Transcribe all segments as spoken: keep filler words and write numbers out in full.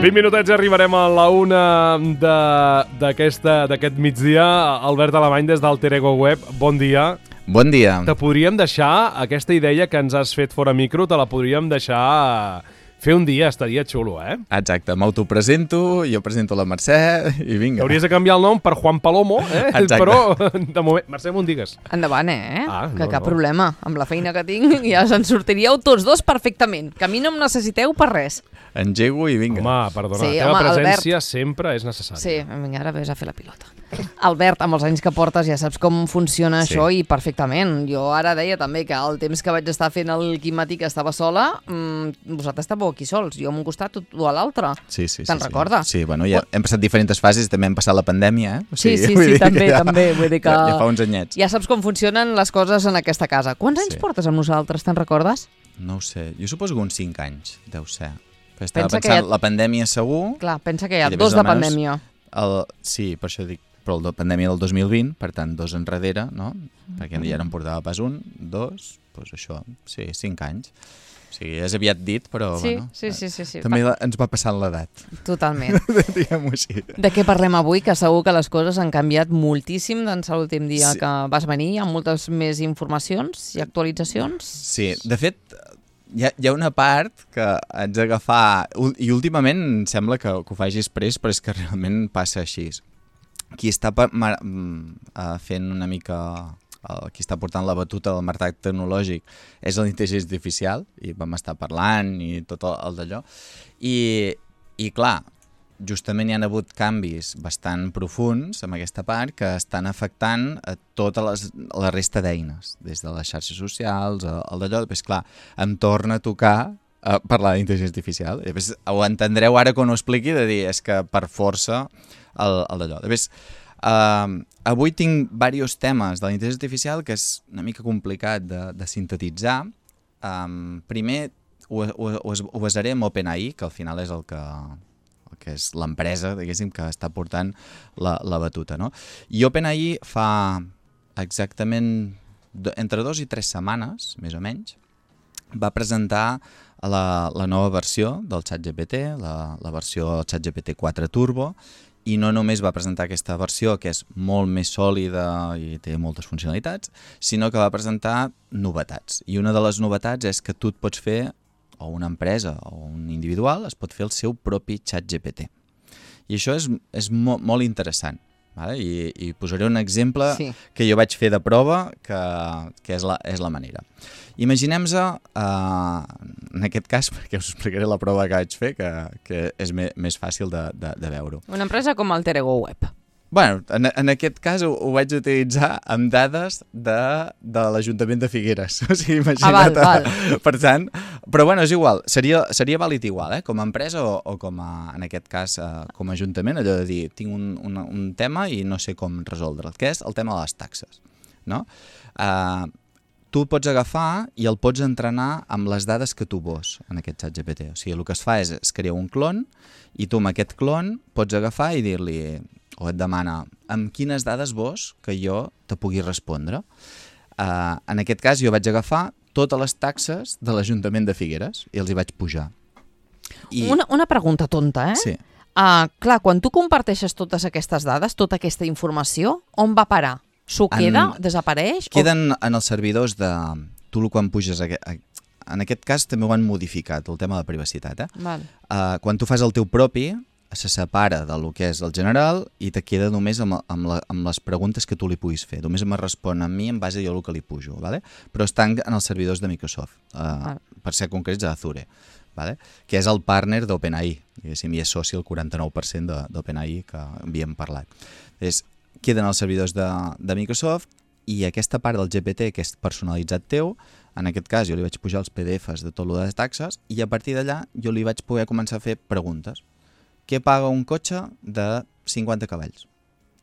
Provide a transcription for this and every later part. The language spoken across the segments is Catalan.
vint minutets i arribarem a la una d'aquest migdia. Albert Alemany, des d'Alter Ego Web, bon dia. Bon dia. Te podríem deixar, aquesta idea que ens has fet fora micro, te la podríem deixar fer un dia, estaria xulo, eh? Exacte, m'autopresento, jo presento la Mercè i vinga. Hauries de canviar el nom per Juan Palomo, eh? Exacte. Però, de moment, Mercè, m'ho digues. Endavant, eh? Ah, que no, cap no. problema. Amb la feina que tinc ja se'n sortiríeu tots dos perfectament. Que a mi no em necessiteu per res. Engego i vinga. Home, perdona, Sí, la teva home, presència Albert. sempre és necessària. Sí, vinga, ara vés a fer la pilota. Albert, amb els anys que portes ja saps com funciona Sí. això i perfectament. Jo ara deia també que el temps que vaig estar fent el Quimati, que estava sola, mmm, vosaltres estàveu aquí sols, jo a un costat, tu a l'altre. Sí, sí, sí. Te'n sí. recordes? Sí, bueno, ja hem passat diferents fases, també hem passat la pandèmia, eh? O Sí, sí, vull sí, dir que també, també. Vull dir que Ja, ja fa uns anyets. ja saps com funcionen les coses en aquesta casa. Quants anys Sí. portes amb nosaltres, te'n recordes? No ho sé, jo suposo que uns cinc anys, deu ser. Però estava Pensa que pensant, ja- la pandèmia segur... Clar, pensa que hi ha I dos després de almenys pandèmia. El, sí, per això dic, però la pandèmia del dos mil vint, per tant, dos enrere, no? Perquè ja no en portava pas un, dos, doncs això, sí, cinc anys. O sigui, és aviat dit, però Sí, bueno, sí, sí, sí, sí. també la, ens va passant l'edat, Totalment. diguem-ho així. De què parlem avui? Que segur que les coses han canviat moltíssim d'ençà l'últim dia Sí. que vas venir, amb moltes més informacions i actualitzacions. Sí, de fet, hi ha, hi ha una part que haig d'agafar, ul- i últimament em sembla que, que ho faig express, però és que realment passa així. Qui està pa, ma, mm, eh, fent una mica... El, qui està portant la batuta del mercat tecnològic és l'intel·ligència artificial, i vam estar parlant i tot el, el d'allò. I, I clar, justament hi han hagut canvis bastant profuns en aquesta part que estan afectant a tota les, la resta d'eines, des de les xarxes socials, el, el d'allò. Després, clar, em torna a tocar a parlar d'intel·ligència artificial. I després ho entendreu ara quan ho expliqui, de dir, és que per força el, el d'allò. Després, Uh, avui tinc diversos temes de la intel·ligència artificial que és una mica complicat de, de sintetitzar. Um, primer ho, ho, ho, ho basaré en OpenAI, que al final és el que, el que és l'empresa, diguéssim, que està portant la, la batuta, no? I OpenAI fa exactament do, entre dos i tres setmanes, més o menys, va presentar la, la nova versió del ChatGPT, la, la versió ChatGPT quatre Turbo, i no només va presentar aquesta versió, que és molt més sòlida i té moltes funcionalitats, sinó que va presentar novetats. I una de les novetats és que tu et pots fer, o una empresa o un individual, es pot fer el seu propi ChatGPT. I això és, és mo molt interessant. Vale? I, I posaré un exemple Sí. que jo vaig fer de prova, que, que és, la, és la manera. Imaginem-se, uh, en aquest cas, perquè us explicaré la prova que vaig fer, que, que és me, més fàcil de, de, de veure-ho. Una empresa com Alter Ego Web. Bueno, en, en aquest cas ho, ho vaig utilitzar amb dades de, de l'Ajuntament de Figueres. O sigui, imagina't. Ah, val, val. Per tant, però bueno, és igual, seria, seria vàlid igual, eh? Com a empresa o, o com a, en aquest cas, eh, com a Ajuntament, allò de dir, tinc un, un, un tema i no sé com resoldre'l, que és el tema de les taxes, no? Eh, tu el pots agafar i el pots entrenar amb les dades que tu vols en aquest ChatGPT. O sigui, el que es fa és, es crea un clon i tu amb aquest clon pots agafar i dir-li, o et demana, amb quines dades vols que jo te pugui respondre? Uh, en aquest cas jo vaig agafar totes les taxes de l'Ajuntament de Figueres i els hi vaig pujar. I... Una, una pregunta tonta, eh? Sí. Uh, clar, quan tu comparteixes totes aquestes dades, tota aquesta informació, on va parar? S'ho queda? En- Desapareix? Queden en els servidors de... Tu quan puges... A... En aquest cas també ho han modificat, el tema de la privacitat. Eh? O... Val. Uh, quan tu fas el teu propi, se separa del que és el general i te queda només amb, amb, la, amb les preguntes que tu li puguis fer. Només me respon a mi en base a jo el que li pujo, ¿vale? Però estan en els servidors de Microsoft, uh, per ser concrets a Azure, ¿vale? Que és el partner d'OpenAI, diguéssim, i és soci el quaranta-nou per cent d'OpenAI que havíem parlat. És, queden els servidors de, de Microsoft i aquesta part del G P T que és personalitzat teu, en aquest cas jo li vaig pujar els P D Fs de tot lo de les taxes i a partir d'allà jo li vaig poder començar a fer preguntes. Què paga un cotxe de cinquanta cavalls?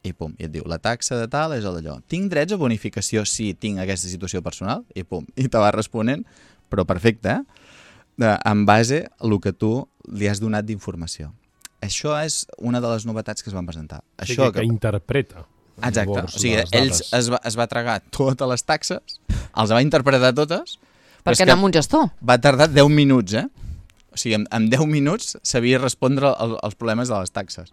I pum, i et diu, la taxa de tal és el d'allò. Tinc drets a bonificació si tinc aquesta situació personal? I pum, i te va responent, però perfecte, eh? De, en base a el que tu li has donat d'informació. Això és una de les novetats que es van presentar. O sigui, Això que, que interpreta. Exacte, Llavors, o sigui, les ells dades. es va, es va tragar totes les taxes, els va interpretar totes, però Perquè és que anar amb un gestor. va tardar deu minuts, eh? O O sigui, en, en deu minuts sabia respondre el, els problemes de les taxes,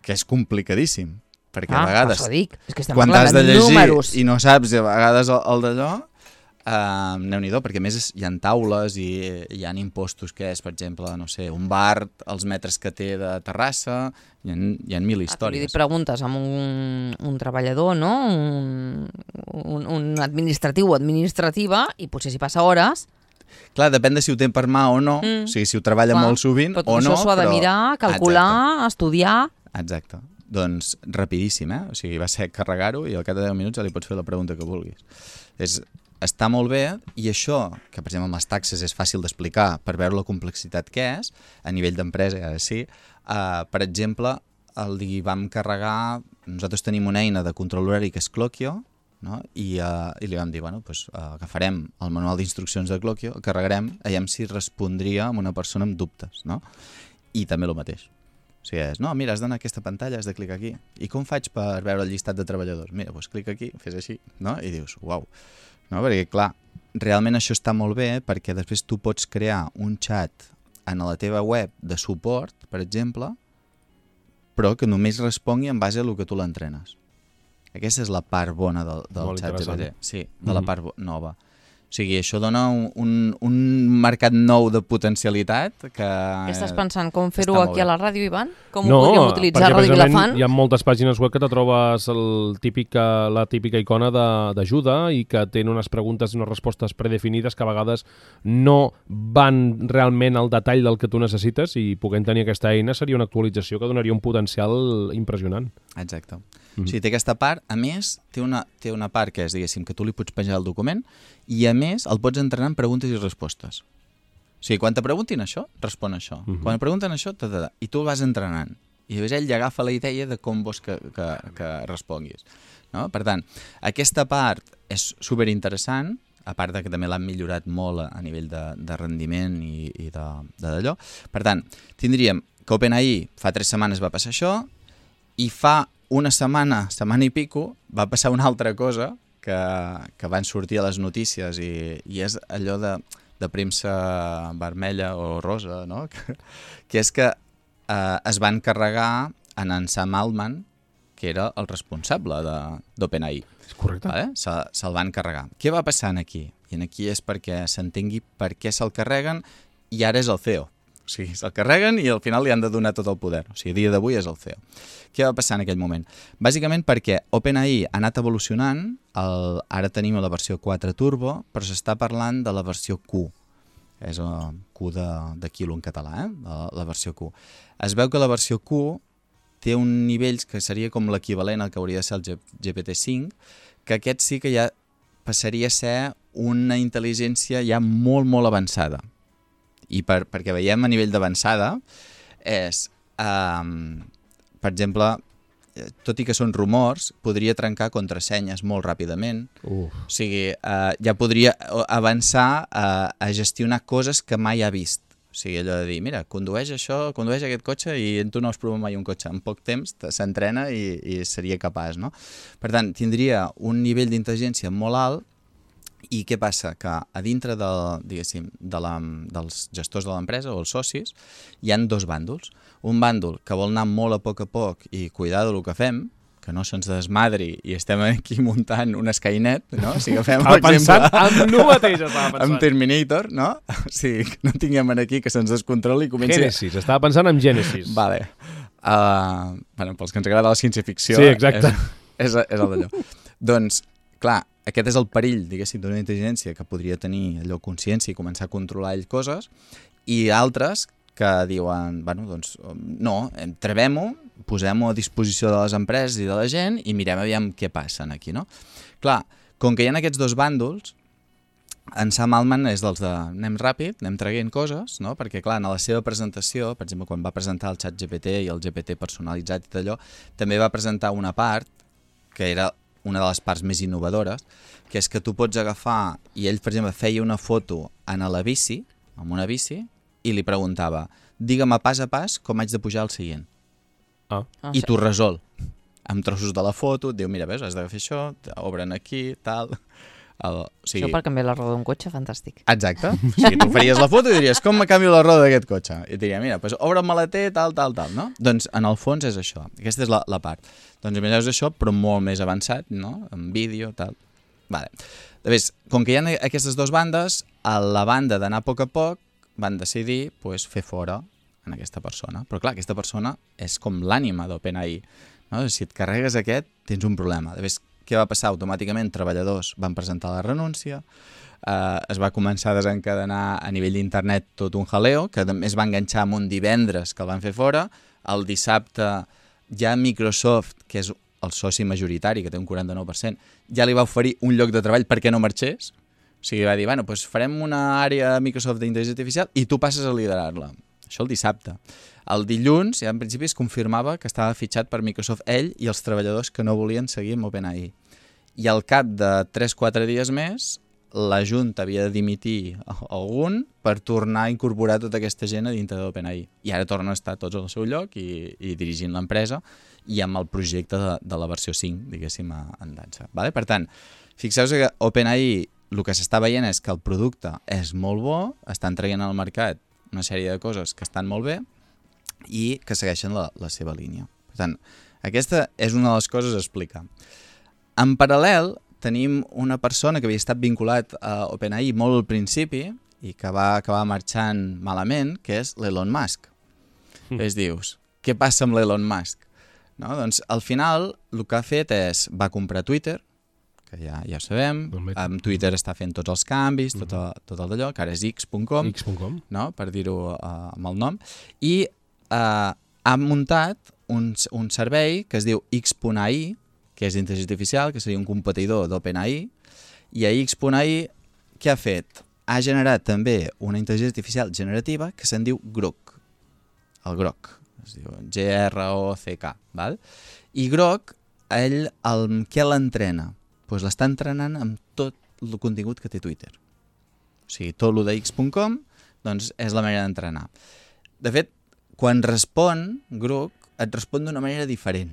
que és complicadíssim, perquè ah, a vegades, dic. És que quan t'has de llegir números. i no saps, a vegades el, el d'allò, Uh, Déu-n'hi-do, perquè a més hi ha taules i hi ha impostos que és, per exemple, no sé, un bar, els metres que té de terrassa, hi ha, hi ha mil històries. Ah, li preguntes amb un, un treballador, no? Un, un, un administratiu o administrativa, i potser si passa hores... Clar, depèn de si ho té per mà o no, mm. o sigui, si ho treballa clar, molt sovint o no. Però això s'ho ha de mirar, calcular, exacte. Estudiar... Exacte. Doncs rapidíssim, eh? O sigui, va ser carregar-ho i al cap de deu minuts ja li pots fer la pregunta que vulguis. És... Està molt bé, i això, que per exemple amb les taxes és fàcil d'explicar per veure la complexitat que és, a nivell d'empresa, ara sí, uh, per exemple, el li vam carregar, nosaltres tenim una eina de control horari que és Clockio, no? I, uh, i li vam dir, bueno, pues, uh, agafarem el manual d'instruccions de Clockio, el carregarem, veiem si respondria a una persona amb dubtes, no? I també el mateix. O sigui, és, no, mira, has d'anar a aquesta pantalla, has de clicar aquí. I com faig per veure el llistat de treballadors? Mira, doncs clica aquí, fes així, no? I dius, uau. No? Perquè, clar, realment això està molt bé perquè després tu pots crear un xat en la teva web de suport, per exemple, però que només respongui en base a lo que tu l'entrenes. Aquesta és la part bona del, del xat G P T. Sí, de mm-hmm. la part nova. O sigui, això dona un, un, un mercat nou de potencialitat que... Què estàs pensant? Com fer-ho aquí a la ràdio, Ivan? Com no, ho podríem utilitzar a Ràdio Vilafant? Hi ha moltes pàgines web que te trobes el típica, la típica icona d'ajuda i que tenen unes preguntes i unes respostes predefinides que a vegades no van realment al detall del que tu necessites, i puguem tenir aquesta eina seria una actualització que donaria un potencial impressionant. Exacte. Mm-hmm. O sigui, té aquesta part, a més, té una, té una part que és, diguéssim, que tu li pots penjar el document i a més el pots entrenar en preguntes i respostes. O sigui, quan te preguntin això, respon això. Mm-hmm. Quan et pregunten això, ta, ta, ta, i tu el vas entrenant. I llavors ell agafa la idea de com vols que, que, que responguis. No? Per tant, aquesta part és superinteressant, a part de que també l'han millorat molt a nivell de, de rendiment i, i d'allò. Per tant, tindríem que OpenAI fa tres setmanes va passar això, i fa una setmana, setmana i pico, va passar una altra cosa que, que van sortir a les notícies i, i és allò de, de premsa vermella o rosa, no? que, que és que eh, es van carregar en en Sam Altman, que era el responsable d'OpenAI. És correcte. Vale? Se'l se van carregar. Què va passar aquí? I aquí és perquè s'entengui per què se'l carreguen i ara és el C E O. O sigui, se'l carreguen i al final li han de donar tot el poder. O sigui, a dia d'avui és el C E O. Què va passar en aquell moment? Bàsicament perquè OpenAI ha anat evolucionant, el, ara tenim la versió quatre Turbo, però s'està parlant de la versió Q. És el Q de, de quilo en català, eh? la, la versió Q. Es veu que la versió Q té un nivell que seria com l'equivalent al que hauria de ser el G P T cinc, que aquest sí que ja passaria a ser una intel·ligència ja molt, molt avançada. I per, perquè veiem a nivell d'avançada és, um, per exemple, tot i que són rumors, podria trencar contrasenyes molt ràpidament. Uf. O sigui, uh, ja podria avançar a, a gestionar coses que mai ha vist. O sigui, allò de dir, mira, condueix això, condueix aquest cotxe i tu no has provat mai un cotxe. En poc temps s'entrena i, i seria capaç, no? Per tant, tindria un nivell d'intel·ligència molt alt. I què passa? Que a dintre de, diguéssim, de la, dels gestors de l'empresa o els socis hi han dos bàndols. Un bàndol que vol anar molt a poc a poc i cuidar del que fem, que no se'ns desmadri i estem aquí muntant un Skynet, no? Si agafem, per exemple, amb no mateix estava pensant. Amb Terminator, no? O sigui, que no tinguem aquí que se'ns descontroli i comenci... Genesis, estava pensant en Genesis. Vale. Uh, bueno, pels que ens agrada la ciència-ficció... Sí, exacte. És, és, és el d'allò. Doncs, clar, aquest és el perill, diguéssim, d'una intel·ligència que podria tenir allò consciència i començar a controlar ell coses, i altres que diuen, bueno, doncs, no, trebem-ho, posem-ho a disposició de les empreses i de la gent i mirem aviam què passa aquí, no? Clar, com que hi ha aquests dos bàndols, en Sam Altman és dels de anem ràpid, anem traient coses, no? Perquè, clar, en la seva presentació, per exemple, quan va presentar el xat G P T i el G P T personalitzat i d'allò, també va presentar una part que era una de les parts més innovadores, que és que tu pots agafar, i ell, per exemple, feia una foto en la bici, amb una bici, i li preguntava, digue'm a pas a pas com haig de pujar al seient. Ah. I t'ho resol. Amb trossos de la foto, et diu, mira, veus, has de fer això, obren aquí, tal... El, o sigui, Això per canviar la roda d'un cotxe, fantàstic. exacte. O sigui, tu faries la foto i diries, com me canvio la roda d'aquest cotxe? I et diria, mira, pues, obre el maleter, tal, tal, tal, no? Doncs en el fons és això. Aquesta és la, la part. Doncs imagineu això, però molt més avançat, no? En vídeo, tal. Vale. Llavors, com que hi ha aquestes dues bandes, a la banda d'anar a poc a poc van decidir pues, fer fora en aquesta persona. Però clar, aquesta persona és com l'ànima d'OpenAI. No? Si et carregues aquest, tens un problema. Llavors, què va passar? Automàticament treballadors van presentar la renúncia, eh, es va començar a desencadenar a nivell d'internet tot un jaleo, que també es va enganxar amb un divendres que el van fer fora. El dissabte ja Microsoft, que és el soci majoritari, que té un quaranta-nou per cent, ja li va oferir un lloc de treball perquè no marxés. O sigui, va dir, bueno, doncs farem una àrea a Microsoft d'intel·ligència artificial i tu passes a liderar-la. Això el dissabte. El dilluns, ja en principi, es confirmava que estava fitxat per Microsoft ell i els treballadors que no volien seguir amb OpenAI. I al cap de tres o quatre dies més, la Junta havia de dimitir algun per tornar a incorporar tota aquesta gent a dintre d'OpenAI. I ara tornen a estar tots al seu lloc i, i dirigint l'empresa i amb el projecte de, de la versió cinc, diguéssim, en dansa. Vale? Per tant, fixeu-vos que OpenAI el que s'està veient és que el producte és molt bo, estan traient al mercat una sèrie de coses que estan molt bé i que segueixen la, la seva línia. Per tant, aquesta és una de les coses a explicar. En paral·lel, tenim una persona que havia estat vinculat a OpenAI molt al principi i que va acabar marxant malament, que és l'Elon Musk. Mm. Es dius, què passa amb l'Elon Musk? No? Doncs al final el que ha fet és, va comprar Twitter, que ja, ja ho sabem, amb Twitter està fent tots els canvis, tot, el, tot el d'allò, que ara és x punt com, x punt com. No? Per dir-ho uh, amb el nom, i uh, ha muntat un, un servei que es diu x punt a i, que és intel·ligència artificial, que seria un competidor d'OpenAI, i a x punt a i què ha fet? Ha generat també una intel·ligència artificial generativa que se'n diu Grok, el Grok, es diu G R O C K, val? I Grok, ell, el, què l'entrena? Pues l'està entrenant amb tot el contingut que té Twitter. O sigui, tot el de x punt com doncs és la manera d'entrenar. De fet, quan respon Grok, et respon d'una manera diferent.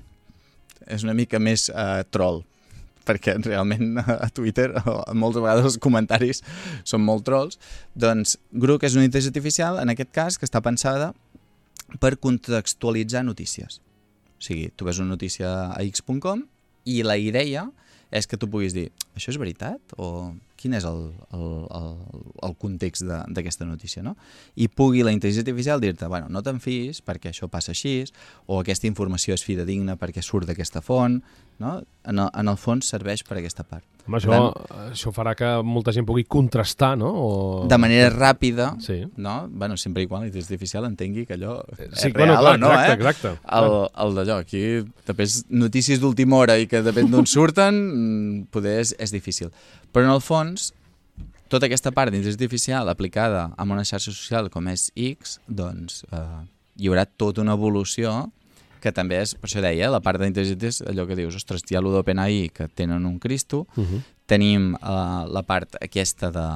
És una mica més uh, troll, perquè realment a Twitter moltes vegades els comentaris són molt trolls. Doncs Grok és una intel·ligència artificial, en aquest cas, que està pensada per contextualitzar notícies. O sigui, tu ves una notícia a x punt com i la idea és que tu puguis dir, això és veritat? O quin és el, el, el, el context d'aquesta notícia, no? I pugui la intel·ligència artificial dir-te, bueno, no te'n fiïs perquè això passa així, o aquesta informació és fidedigna perquè surt d'aquesta font, no? En el, en el fons serveix per aquesta part. Home, això, tant, això farà que molta gent pugui contrastar, no? O... De manera ràpida, sí. No? Bueno, sempre i quan la intel·ligència artificial entengui que allò és sí, real bueno, clar, o no, exacte, eh? Exacte. El, el d'allò, aquí després notícies d'última hora i que depèn d'on surten, poder és, és difícil. Però en el fons, tota aquesta part d'intel·ligència artificial aplicada a una xarxa social com és X, doncs eh, hi haurà tota una evolució que també és, per això deia, la part d'intel·ligència és allò que dius, ostres, hi ha allò d'OpenAI que tenen un Cristo, uh -huh. tenim uh, la part aquesta de,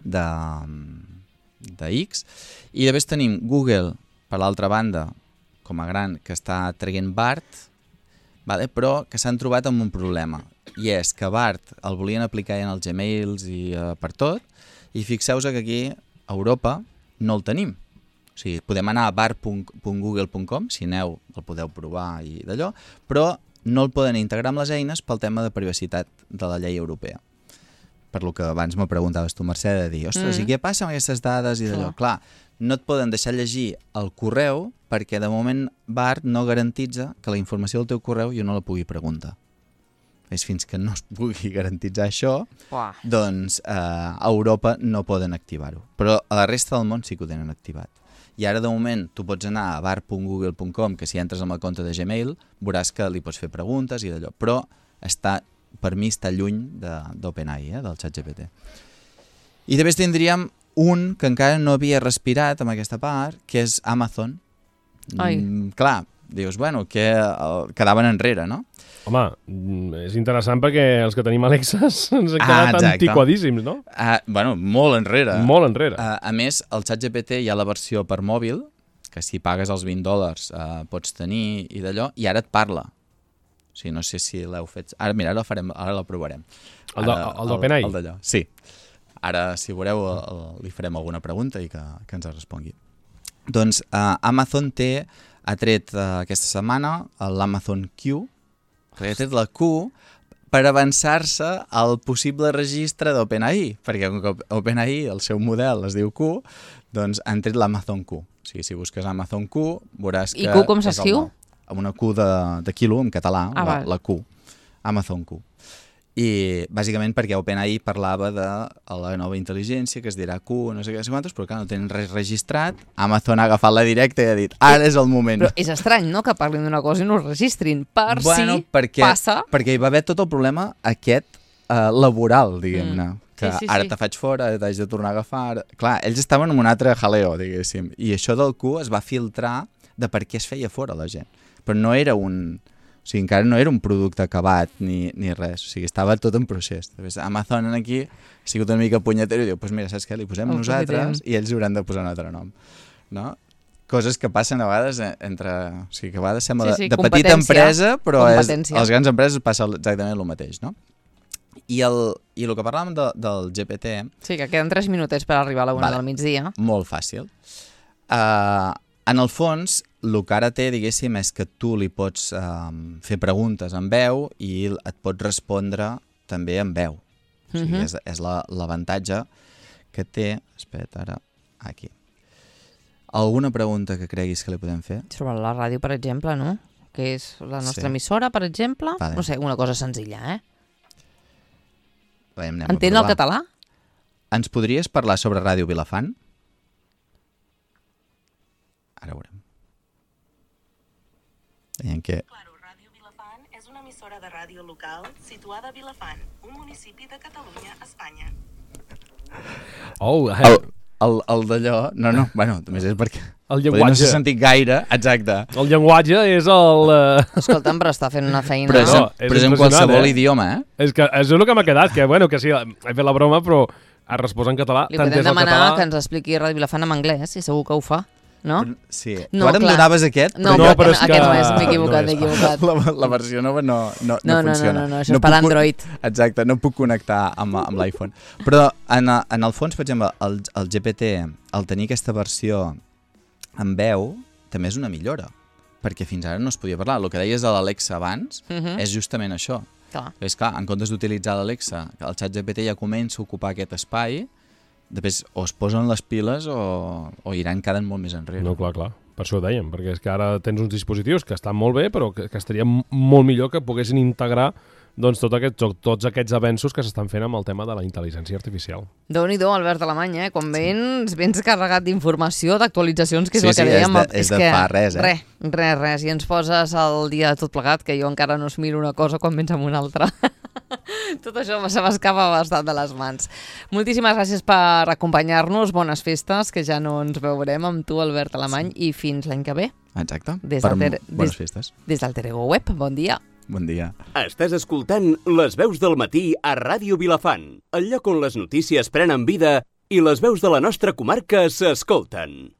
de, de X, i després tenim Google, per l'altra banda, com a gran, que està traient Bard, vale? Però que s'han trobat amb un problema, i és que Bard el volien aplicar en els Gmails i uh, per tot, i fixeu-vos que aquí, a Europa, no el tenim. O sigui, podem anar a bard punt google punt com, si aneu el podeu provar i d'allò, però no el poden integrar amb les eines pel tema de privacitat de la llei europea. Per lo que abans me preguntaves tu, Mercè, de dir, ostres, mm. i què passa amb aquestes dades i d'allò? Clar. Clar, no et poden deixar llegir el correu perquè de moment Bard no garantitza que la informació del teu correu jo no la pugui preguntar. És fins que no es pugui garantitzar això, Uah. doncs eh, a Europa no poden activar-ho. Però a la resta del món sí que ho tenen activat. I ara, de moment, tu pots anar a bard punt google punt com, que si entres amb el compte de Gmail, veuràs que li pots fer preguntes i d'allò. Però està, per mi està lluny d'OpenAI, eh, del ChatGPT. I després tindríem un que encara no havia respirat amb aquesta part, que és Amazon. Ai. Mm, clar, dius, bueno, que uh, quedaven enrere, no? Home, és interessant perquè els que tenim Alexas ens han quedat ah, antiquadíssims, no? Uh, bueno, molt enrere. Molt enrere. Uh, a més, el ChatGPT hi ha la versió per mòbil, que si pagues els vint dòlars uh, pots tenir i d'allò, i ara et parla. O sigui, no sé si l'heu fet... Ara, mira, ara el farem, ara el provarem. El, de, el d'OpenAI? El d'allò, sí. Ara, si veureu, el, el, li farem alguna pregunta i que, que ens respongui. Doncs uh, Amazon té, ha tret uh, aquesta setmana l'Amazon Q, ha tret la Q per avançar-se al possible registre d'OpenAI, perquè OpenAI, el seu model es diu Q, doncs han tret l'Amazon Q. O sigui, si busques Amazon Q, veuràs que... I Q com s'escriu? Amb una Q de, de quilo, en català, ah, la, la Q, Amazon Q. I bàsicament perquè OpenAI parlava de la nova intel·ligència, que es dirà Q, no sé què, no sé quantos, però clar, no tenen res registrat. Amazon ha agafat la directa i ha dit, ara és el moment. Però és estrany, no?, que parlin d'una cosa i no es registrin, per bueno, si perquè, passa... Perquè hi va haver tot el problema aquest uh, laboral, diguem-ne. Mm. Que sí, sí, ara sí. te faig fora, t'haig de tornar a agafar... Clar, ells estaven en un altre jaleo, diguéssim. I això del Q es va filtrar de per què es feia fora la gent. Però no era un... O sigui, encara no era un producte acabat ni, ni res. O sigui, estava tot en procés. Amazon aquí ha sigut una mica punyetero i diu, doncs pues mira, saps què? Li posem oh, nosaltres i ells hauran de posar un altre nom. No? Coses que passen a vegades entre... O sigui, que a vegades sembla sí, sí, de, de petita empresa, però és, als grans empreses passa exactament el mateix, no? I el, i el que parlàvem de, del G P T... Sí, que queden tres minutets per arribar a la una vale. Del migdia. Molt fàcil. Uh, en el fons, el que ara té, diguéssim, és que tu li pots um, fer preguntes en veu i et pots respondre també en veu. O sigui, uh-huh. és, és l'avantatge que té... Espera't, ara, aquí. Alguna pregunta que creguis que li podem fer? Sobre la ràdio, per exemple, no? Que és la nostra sí. emissora, per exemple. Vale. No sé, una cosa senzilla, eh? Veiem, entén el català? Ens podries parlar sobre Ràdio Vilafant? Ara veurem. Veiem que... Claro, Ràdio Vilafant és una emissora de ràdio local situada a Vilafant, un municipi de Catalunya, Espanya. Oh, eh. el, el, el d'allò... No, no, bueno, només és perquè... El llenguatge. No s'ha sentit gaire, exacte. El llenguatge és el... Uh... Escolta'm, però està fent una feina... Però és, no, és, però és en qualsevol eh? idioma, eh? És que és el que m'ha quedat, que bueno, que sí, he fet la broma, però ha respost en català. Li podem demanar català... que ens expliqui Ràdio Vilafant en anglès, i segur que ho fa. No? Sí. No, tu ara clar. em donaves aquest, no, però, no, jo... però és que... aquest no és, m'he equivocat, no m'he equivocat. La, la versió nova no, no, no, no, no funciona. No, no, no, això no és per Android. Exacte, no puc connectar amb, amb l'iPhone. Però en, en el fons, per exemple, el, el G P T, al tenir aquesta versió en veu, també és una millora, perquè fins ara no es podia parlar. El que deies de l'Alexa abans uh -huh. és justament això. Clar. És clar, en comptes d'utilitzar l'Alexa, el xat G P T ja comença a ocupar aquest espai, després o es posen les piles o, o iran quedant molt més enrere. No, clar, clar. Per això ho dèiem, perquè és que ara tens uns dispositius que estan molt bé, però que, que estaria molt millor que poguessin integrar doncs, tot aquest, tots aquests avenços que s'estan fent amb el tema de la intel·ligència artificial. Déu-n'hi-do, Albert Alemany, eh? Quan vens, sí. vens carregat d'informació, d'actualitzacions, que és sí, el que sí, dèiem. És de, és de que, fa res, eh? Res, res, res. I ens poses el dia de tot plegat, que jo encara no es miro una cosa quan vens amb una altra. Tot això se m'escapa bastant de les mans. Moltíssimes gràcies per acompanyar-nos, bones festes, que ja no ens veurem amb tu, Albert Alemany, sí. i fins l'any que ve. Exacte, des per ter... bones des... festes. Des del Terego Web, bon dia. Bon dia. Estàs escoltant Les veus del matí a Ràdio Vilafant, el lloc on les notícies prenen vida i les veus de la nostra comarca s'escolten.